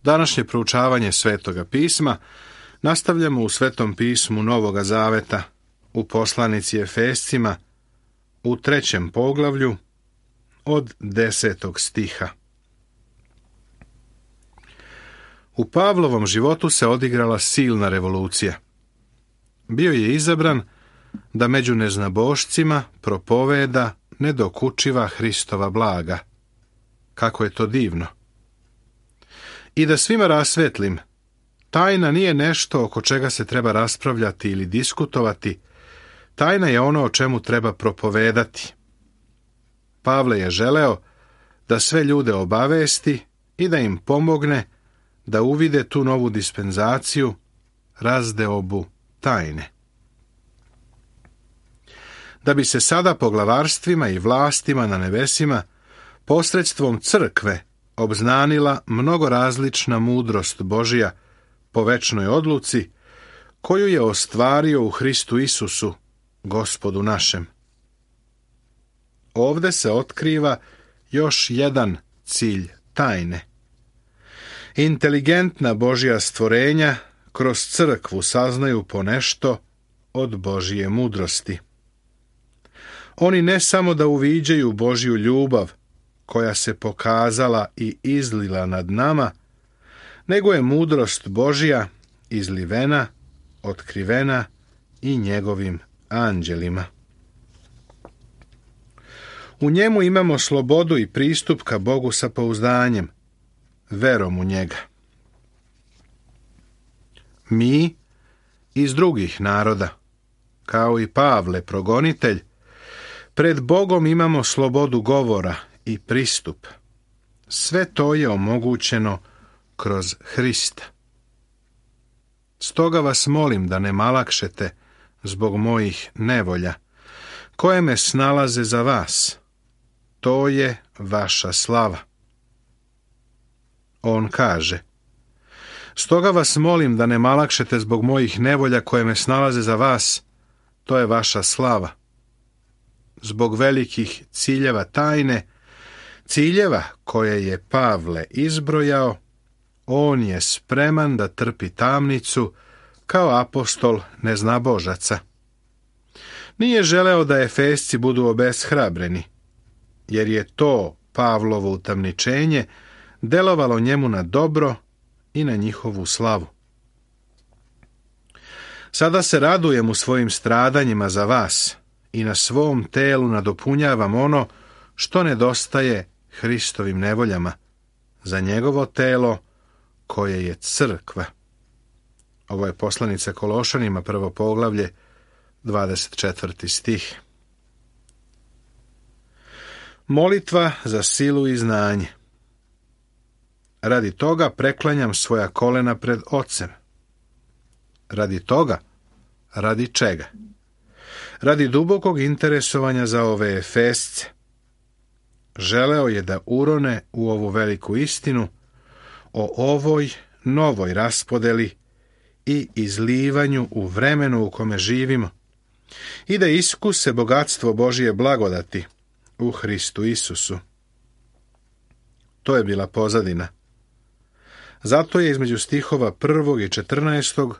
Današnje proučavanje Svetoga pisma nastavljamo u Svetom pismu Novoga Zaveta, u poslanici Efescima, u 3. poglavlju, od 10. stiha. U Pavlovom životu se odigrala silna revolucija. Bio je izabran da među neznabošcima propoveda nedokučiva Hristova blaga. Kako je to divno! I da svima rasvetlim, tajna nije nešto oko čega se treba raspravljati ili diskutovati, tajna je ono o čemu treba propovedati. Pavle je želeo da sve ljude obavesti i da im pomogne da uvide tu novu dispenzaciju, razdeobu tajne. Da bi se sada poglavarstvima i vlastima na nebesima posredstvom crkve obznanila mnogo različna mudrost Božja po večnoj odluci, koju je ostvario u Hristu Isusu, Gospodu našem. Ovde se otkriva još jedan cilj tajne. Inteligentna Božja stvorenja kroz crkvu saznaju ponešto od Božje mudrosti. Oni ne samo da uviđaju Božju ljubav, koja se pokazala i izlila nad nama, nego je mudrost Božja izlivena, otkrivena i njegovim anđelima. U njemu imamo slobodu i pristup ka Bogu sa pouzdanjem, verom u njega. Mi iz drugih naroda, kao i Pavle progonitelj, pred Bogom imamo slobodu govora i pristup. Sve to je omogućeno kroz Hrista. Stoga vas molim da ne malakšete zbog mojih nevolja, koje me snalaze za vas. To je vaša slava. On kaže: stoga vas molim da ne malakšete zbog mojih nevolja koje me snalaze za vas. To je vaša slava. Zbog velikih ciljeva tajne, ciljeva koje je Pavle izbrojao, on je spreman da trpi tamnicu kao apostol neznabožaca. Nije želeo da Efesci budu obeshrabreni, jer je to Pavlovo utamničenje delovalo njemu na dobro i na njihovu slavu. Sada se radujem u svojim stradanjima za vas i na svom telu nadopunjavam ono što nedostaje Hristovim nevoljama, za njegovo telo koje je crkva. Ovo je poslanica Kološanima, 1. poglavlje, 24. stih. Molitva za silu i znanje. Radi toga preklanjam svoja kolena pred Ocem. Radi toga? Radi čega? Radi dubokog interesovanja za ove Efesce. Želeo je da urone u ovu veliku istinu o ovoj novoj raspodeli i izlivanju u vremenu u kome živimo i da iskuse bogatstvo Božije blagodati u Hristu Isusu. To je bila pozadina. Zato je između stihova 1. i 14.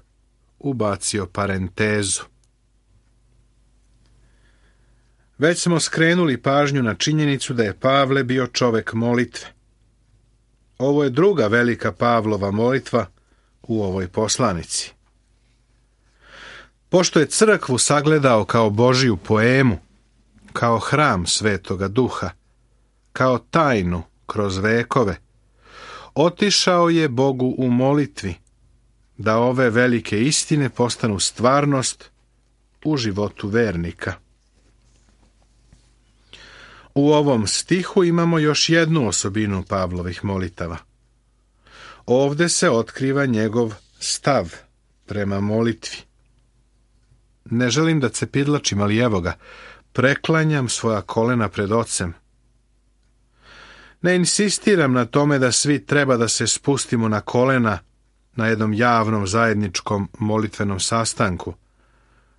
ubacio parentezu. Već smo skrenuli pažnju na činjenicu da je Pavle bio čovek molitve. Ovo je druga velika Pavlova molitva u ovoj poslanici. Pošto je crkvu sagledao kao Božiju poemu, kao hram Svetoga Duha, kao tajnu kroz vekove, otišao je Bogu u molitvi da ove velike istine postanu stvarnost u životu vernika. U ovom stihu imamo još jednu osobinu Pavlovih molitava. Ovde se otkriva njegov stav prema molitvi. Ne želim da cepidlačim, ali evo ga, preklanjam svoja kolena pred Ocem. Ne insistiram na tome da svi treba da se spustimo na kolena na jednom javnom zajedničkom molitvenom sastanku,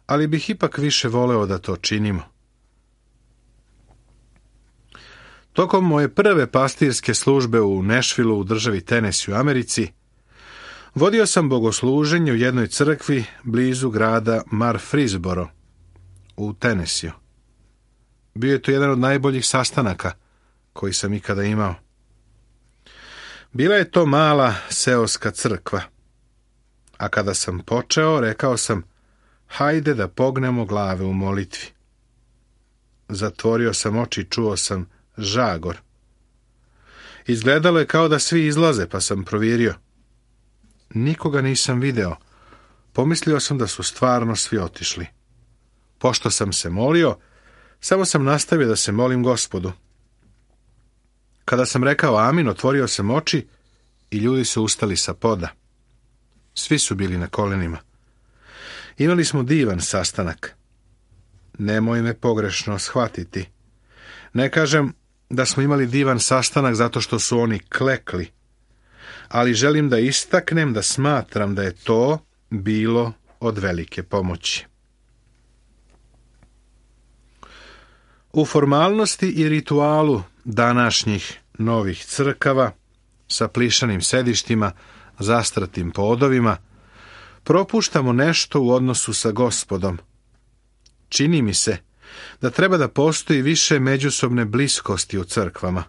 ali bih ipak više voleo da to činimo. Tokom moje prve pastirske službe u Nashvilleu u državi Tennessee u Americi, vodio sam bogosluženje u jednoj crkvi blizu grada Murfreesboro u Tennesseeu. Bio je to jedan od najboljih sastanaka koji sam ikada imao. Bila je to mala seoska crkva, a kada sam počeo, rekao sam, hajde da pognemo glave u molitvi. Zatvorio sam oči i čuo sam žagor. Izgledalo je kao da svi izlaze, pa sam provjerio. Nikoga nisam video. Pomislio sam da su stvarno svi otišli. Pošto sam se molio, samo sam nastavio da se molim Gospodu. Kada sam rekao amin, otvorio sam oči i ljudi su ustali sa poda. Svi su bili na kolenima. Imali smo divan sastanak. Nemoj me pogrešno shvatiti. Ne kažem da smo imali divan sastanak zato što su oni klekli, ali želim da istaknem da smatram da je to bilo od velike pomoći. U formalnosti i ritualu današnjih novih crkava sa plišanim sedištima, zastratim podovima, propuštamo nešto u odnosu sa Gospodom. Čini mi se da treba da postoji više međusobne bliskosti u crkvama,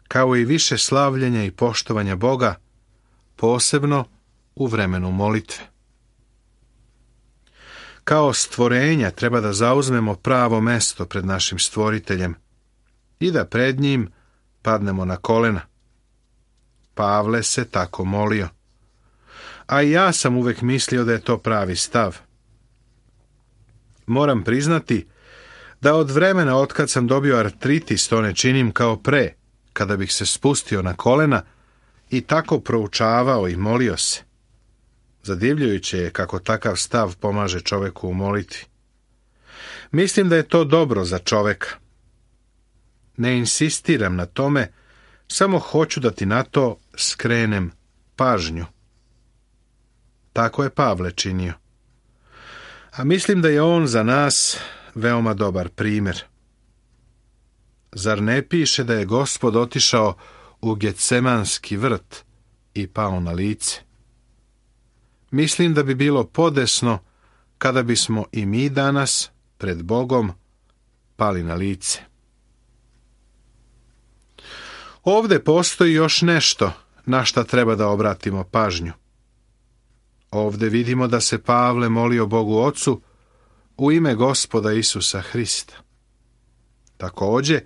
kao i više slavljenja i poštovanja Boga, posebno u vremenu molitve. Kao stvorenja treba da zauzmemo pravo mesto pred našim stvoriteljem i da pred njim padnemo na kolena. Pavle se tako molio. A i ja sam uvek mislio da je to pravi stav. Moram priznati da od vremena otkad sam dobio artritis to ne činim kao pre, kada bih se spustio na kolena i tako proučavao i molio se. Zadivljujuće je kako takav stav pomaže čoveku u molitvi. Mislim da je to dobro za čoveka. Ne insistiram na tome, samo hoću da ti na to skrenem pažnju. Tako je Pavle činio. A mislim da je on za nas veoma dobar primjer. Zar ne piše da je Gospod otišao u Getsemanski vrt i pao na lice? Mislim da bi bilo podesno kada bismo i mi danas pred Bogom pali na lice. Ovde postoji još nešto na šta treba da obratimo pažnju. Ovde vidimo da se Pavle molio Bogu Ocu u ime Gospoda Isusa Hrista. Takođe,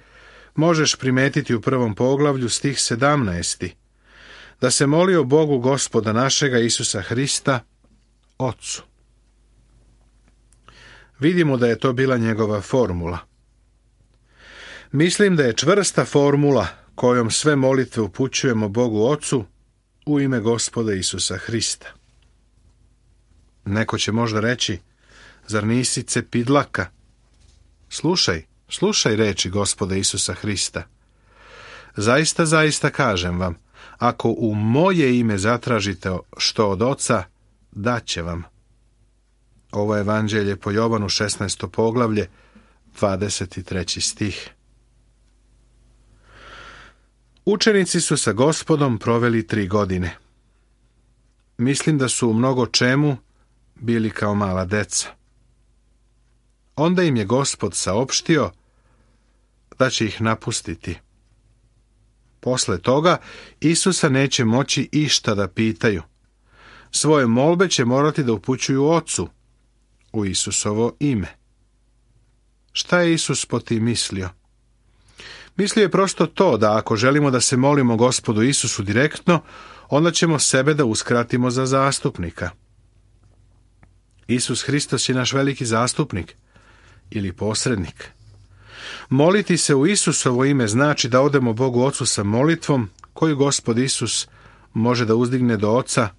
možeš primetiti u 1. poglavlju stih 17. da se molio Bogu Gospoda našega Isusa Hrista, Ocu. Vidimo da je to bila njegova formula. Mislim da je čvrsta formula kojom sve molitve upućujemo Bogu Ocu u ime Gospoda Isusa Hrista. Neko će možda reći, zar nisi cepidlaka? Slušaj reči Gospoda Isusa Hrista. Zaista, zaista kažem vam, ako u moje ime zatražite što od Oca, daće vam. Ovo je evanđelje po Jovanu 16. poglavlje, 23. stih. Učenici su sa Gospodom proveli 3 godine. Mislim da su u mnogo čemu bili kao mala deca. Onda im je Gospod saopštio da će ih napustiti. Posle toga Isusa neće moći išta da pitaju. Svoje molbe će morati da upućuju Ocu u Isusovo ime. Šta je Isus po tim mislio? Mislio je prosto to da ako želimo da se molimo Gospodu Isusu direktno, onda ćemo sebe da uskratimo za zastupnika. Isus Hristos je naš veliki zastupnik ili posrednik. Moliti se u Isusovo ime znači da odemo Bogu Ocu sa molitvom koju Gospod Isus može da uzdigne do Oca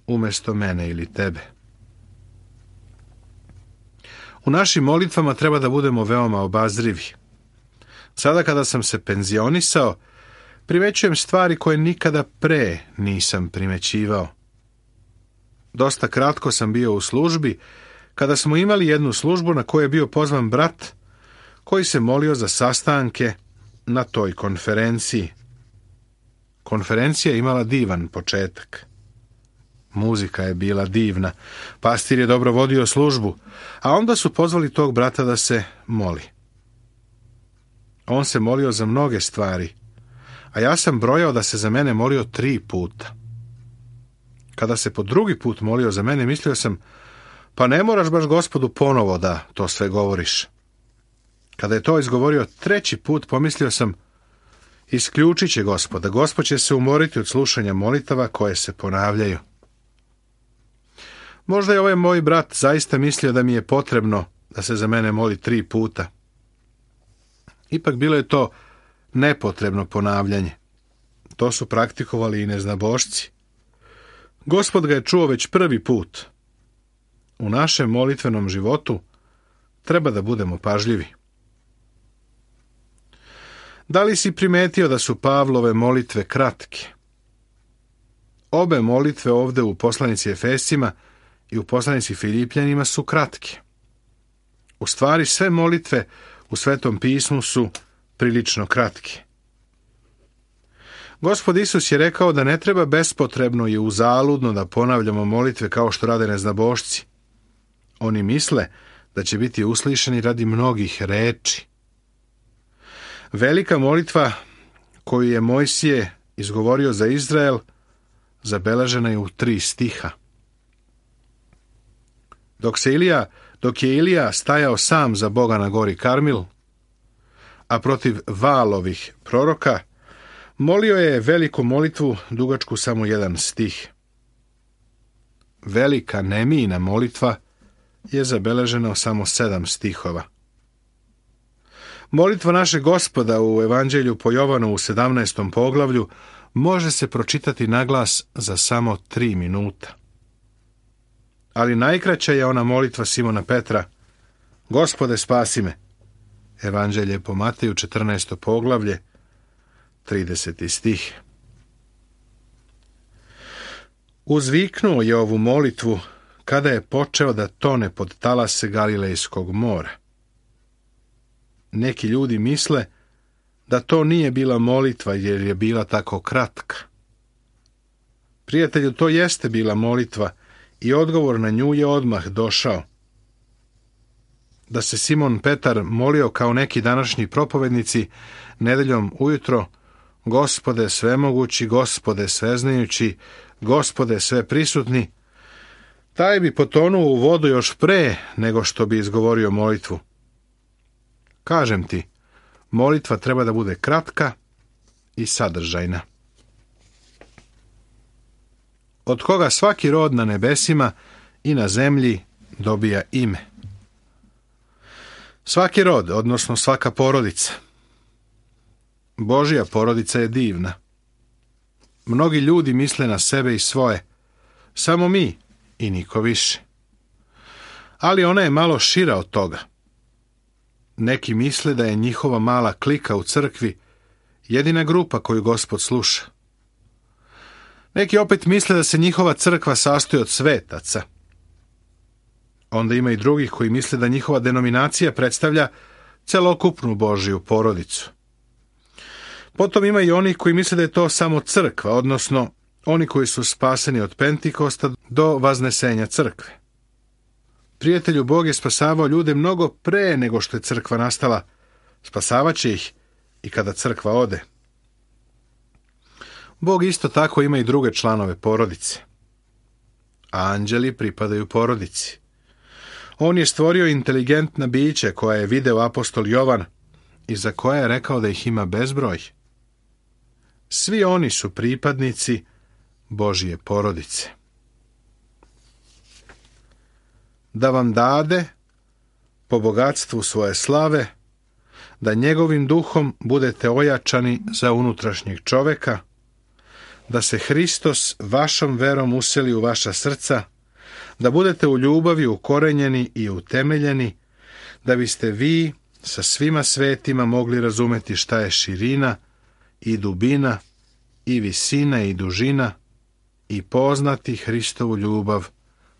umjesto mene ili tebe. U našim molitvama treba da budemo veoma obazrivi. Sada kada sam se penzionisao, primećujem stvari koje nikada pre nisam primećivao. Dosta kratko sam bio u službi, kada smo imali jednu službu na kojoj je bio pozvan brat, koji se molio za sastanke na toj konferenciji. Konferencija je imala divan početak. Muzika je bila divna, pastir je dobro vodio službu, a onda su pozvali tog brata da se moli. On se molio za mnoge stvari, a ja sam brojao da se za mene molio 3 puta. Kada se po drugi put molio za mene, mislio sam, pa ne moraš baš Gospodu ponovo da to sve govoriš. Kada je to izgovorio 3. put, pomislio sam, isključit će Gospoda, Gospod će se umoriti od slušanja molitava koje se ponavljaju. Možda je ovaj moj brat zaista mislio da mi je potrebno da se za mene moli 3 puta. Ipak bilo je to nepotrebno ponavljanje. To su praktikovali i neznabošci. Gospod ga je čuo već 1. put. U našem molitvenom životu treba da budemo pažljivi. Da li si primetio da su Pavlove molitve kratke? Obe molitve ovde u poslanici Efescima i u poslanici Filipljanima su kratke. U stvari sve molitve u Svetom pismu su prilično kratke. Gospod Isus je rekao da ne treba bespotrebno i uzaludno da ponavljamo molitve kao što rade neznabošci. Oni misle da će biti uslišani radi mnogih reči. Velika molitva koju je Mojsije izgovorio za Izrael zabeležena je u 3 stiha. Dok je Ilija stajao sam za Boga na gori Karmil, a protiv Valovih proroka, molio je veliku molitvu dugačku samo 1 stih. Velika Nemijina molitva je zabeležena u samo 7 stihova. Molitva našeg Gospoda u Evanđelju po Jovanu u 17. poglavlju može se pročitati naglas za samo 3 minuta. Ali najkraća je ona molitva Simona Petra, Gospode spasi me. Evanđelje po Mateju 14. poglavlje, 30. stih. Uzviknuo je ovu molitvu kada je počeo da tone pod talase Galilejskog mora. Neki ljudi misle da to nije bila molitva jer je bila tako kratka. Prijatelju, to jeste bila molitva i odgovor na nju je odmah došao. Da se Simon Petar molio kao neki današnji propovednici nedeljom ujutro, Gospode svemogući, Gospode sveznajući, Gospode sveprisutni, taj bi potonuo u vodu još pre nego što bi izgovorio molitvu. Kažem ti, molitva treba da bude kratka i sadržajna. Od koga svaki rod na nebesima i na zemlji dobija ime. Svaki rod, odnosno svaka porodica. Božja porodica je divna. Mnogi ljudi misle na sebe i svoje, samo mi i niko više. Ali ona je malo šira od toga. Neki misle da je njihova mala klika u crkvi jedina grupa koju Gospod sluša. Neki opet misle da se njihova crkva sastoji od svetaca. Onda ima i drugih koji misle da njihova denominacija predstavlja celokupnu Božju porodicu. Potom ima i onih koji misle da je to samo crkva, odnosno oni koji su spaseni od Pentikosta do vaznesenja crkve. Prijatelju, Bog je spasavao ljude mnogo pre nego što je crkva nastala. Spasavaće ih i kada crkva ode. Bog isto tako ima i druge članove porodice. Anđeli pripadaju porodici. On je stvorio inteligentna bića koja je video apostol Jovan i za koja je rekao da ih ima bezbroj. Svi oni su pripadnici Božje porodice. Da vam dade, po bogatstvu svoje slave, da njegovim duhom budete ojačani za unutrašnjeg čoveka, da se Hristos vašom verom useli u vaša srca, da budete u ljubavi ukorenjeni i utemeljeni, da biste vi sa svima svetima mogli razumeti šta je širina i dubina i visina i dužina i poznati Hristovu ljubav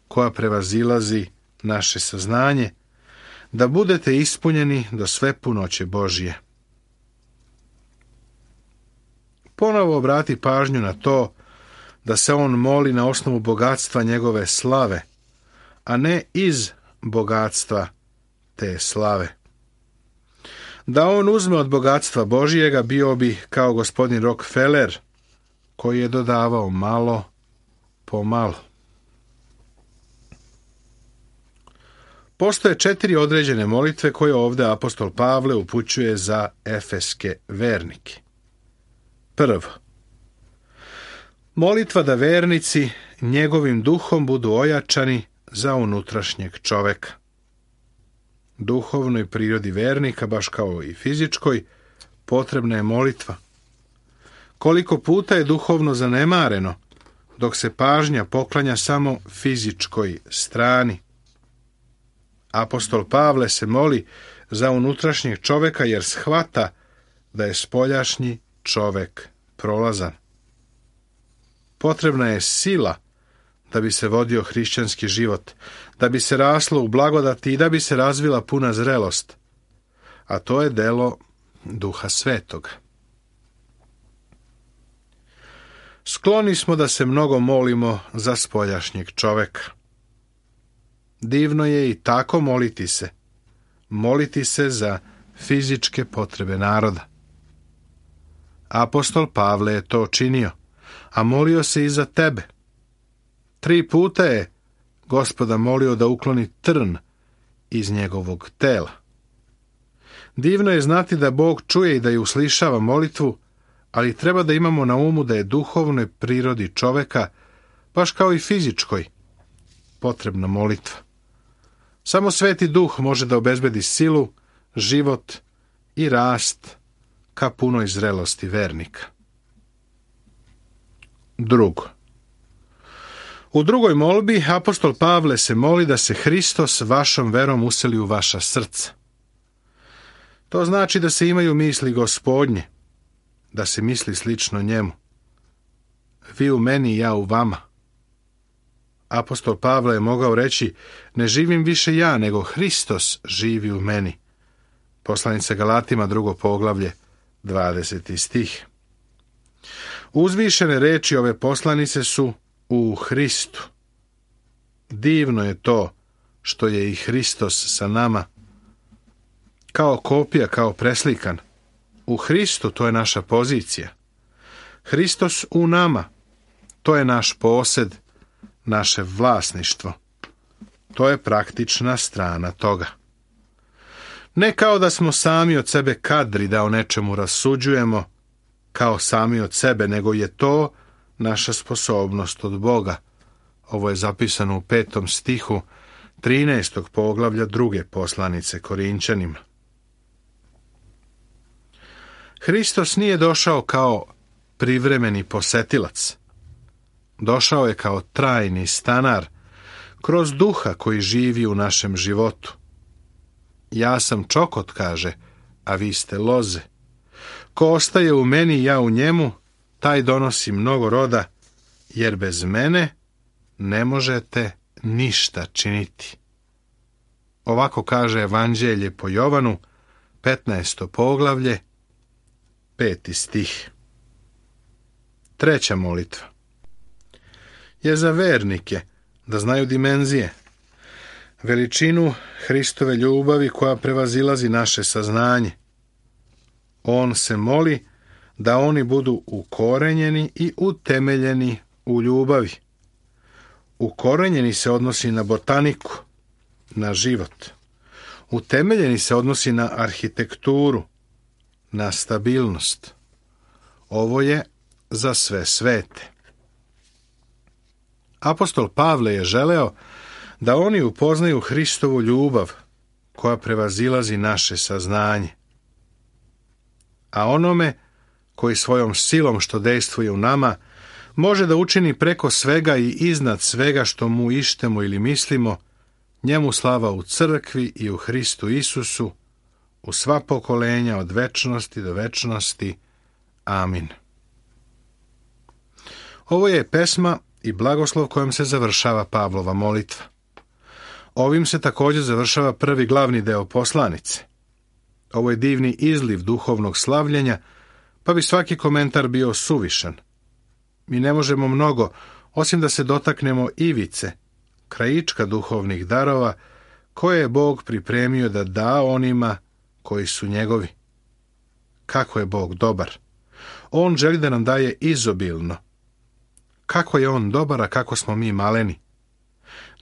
koja prevazilazi naše saznanje, da budete ispunjeni do sve punoće Božje. ponovo obrati pažnju na to da se on moli na osnovu bogatstva njegove slave, a ne iz bogatstva te slave. Da on uzme od bogatstva Božijega, bio bi kao gospodin Rockefeller, koji je dodavao malo po malo. Postoje 4 određene molitve koje ovdje apostol Pavle upućuje za efeske vernike. Prvo, molitva da vernici njegovim duhom budu ojačani za unutrašnjeg čoveka. Duhovnoj prirodi vernika, baš kao i fizičkoj, potrebna je molitva. Koliko puta je duhovno zanemareno, dok se pažnja poklanja samo fizičkoj strani. Apostol Pavle se moli za unutrašnjeg čoveka jer shvata da je spoljašnji čovek prolazan. Potrebna je sila da bi se vodio hrišćanski život, da bi se raslo u blagodati i da bi se razvila puna zrelost, a to je delo Duha Svetoga. Skloni smo da se mnogo molimo za spoljašnjeg čoveka. Divno je i tako moliti se za fizičke potrebe naroda. Apostol Pavle je to činio, a molio se i za tebe. 3 puta je Gospoda molio da ukloni trn iz njegovog tela. Divno je znati da Bog čuje i da je uslišava molitvu, ali treba da imamo na umu da je duhovnoj prirodi čoveka, baš kao i fizičkoj, potrebna molitva. Samo Sveti Duh može da obezbedi silu, život i rast ka punoj zrelosti vernika. Drugo. U drugoj molbi apostol Pavle se moli da se Hristos vašom verom useli u vaša srca. To znači da se imaju misli Gospodnje, da se misli slično njemu. Vi u meni, ja u vama. Apostol Pavle je mogao reći, ne živim više ja, nego Hristos živi u meni. Poslanica Galatima, 2. poglavlje, 20. stih. Uzvišene reči ove poslanice su u Hristu. Divno je to što je i Hristos sa nama. Kao kopija, kao preslikan. U Hristu to je naša pozicija. Hristos u nama, to je naš posed, naše vlasništvo. To je praktična strana toga. Ne kao da smo sami od sebe kadri da o nečemu rasuđujemo, kao sami od sebe, nego je to naša sposobnost od Boga. Ovo je zapisano u 5. stihu 13. poglavlja 2. poslanice Korinćanima. Hristos nije došao kao privremeni posetilac. Došao je kao trajni stanar, kroz Duha koji živi u našem životu. Ja sam čokot, kaže, a vi ste loze. Ko ostaje u meni, ja u njemu, taj donosi mnogo roda, jer bez mene ne možete ništa činiti. Ovako kaže Evanđelje po Jovanu, 15. poglavlje, 5. stih. Treća molitva je za vernike, da znaju dimenzije, veličinu Hristove ljubavi koja prevazilazi naše saznanje. On se moli da oni budu ukorenjeni i utemeljeni u ljubavi. Ukorenjeni se odnosi na botaniku, na život. Utemeljeni se odnosi na arhitekturu, na stabilnost. Ovo je za sve svete. Apostol Pavle je želeo da oni upoznaju Hristovu ljubav koja prevazilazi naše saznanje. A onome koji svojom silom što dejstvuje u nama može da učini preko svega i iznad svega što mu ištemo ili mislimo, njemu slava u crkvi i u Hristu Isusu, u sva pokolenja od večnosti do večnosti. Amin. Ovo je pesma i blagoslov kojom se završava Pavlova molitva. Ovim se također završava prvi glavni deo poslanice. Ovo je divni izliv duhovnog slavljenja pa bi svaki komentar bio suvišan. Mi ne možemo mnogo, osim da se dotaknemo ivice, krajička duhovnih darova, koje je Bog pripremio da da onima koji su njegovi. Kako je Bog dobar! On želi da nam daje izobilno. Kako je on dobar, a kako smo mi maleni!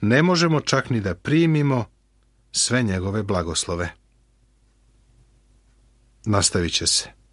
Ne možemo čak ni da primimo sve njegove blagoslove. Nastavit će se.